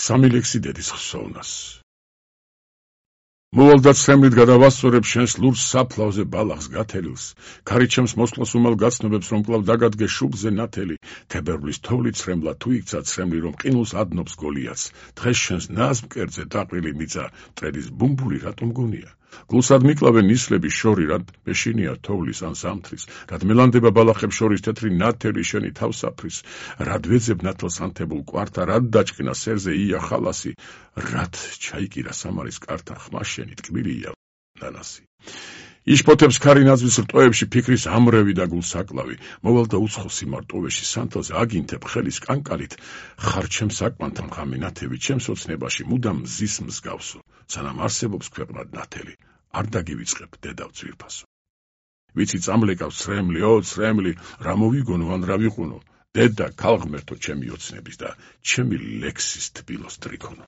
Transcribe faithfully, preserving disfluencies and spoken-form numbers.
სამი ლექსი დედის ხსოვნას. მოვალ და ცრემლით გადავასწორებ შენს ლურს საფლავზე ბალახს გათელილს, ქარი ჩემს მოსვლას უმალ გაცნობებს, რომ კლავ დაგადგე შუბლზე ნათელი, თებერვლის თოვლი ცრემლა თუ იქცა ცრემლი, რომ ყინულს ადნობს გოლიათს, დღეს შენს ნაზ მკერდზე დაყრილი მიწა, მტრედის ბუმბული რატომ გონია? გულსად მიკლავენ ნისლების შორი, რად მეშინია თოვლის ან ზამთრის, რად მელანდება ბალახებს შორის თეთრი ნათელი შენი თავსაფრის, რად ვეძებ ნათელს ანთებულ კვართა, რად დაჭკნა სერზე ია ხალასი, რად ჩაიკირა სამარის კართა ხმა შენი ტკბილია ნანასი. იშფოთებს ქარი ნაძვის რტოებში ფიქრის ამრევი და გულსაკლავი, მოვალ და უცხო სიმარტოვეში სანთელზე აგინთებ ხელის კანკალით, ხარ ჩემს აკმანთა მღამე ნათევი, ჩემს ოცნებაში მუდამ მზის მსგავსო, სანამ არსებობს ქვეყნად ნათელი, არ დაგივიწყებ დედავ ძვირფასო. ვიცი წამლეკავს ცრემლი, ო ცრემლი, რა მოვიგონო ან რა ვიყუნო, დედა ქალღმერთო ჩემი ოცნების და ჩემი ლექსის თბილოს ტრიქონო.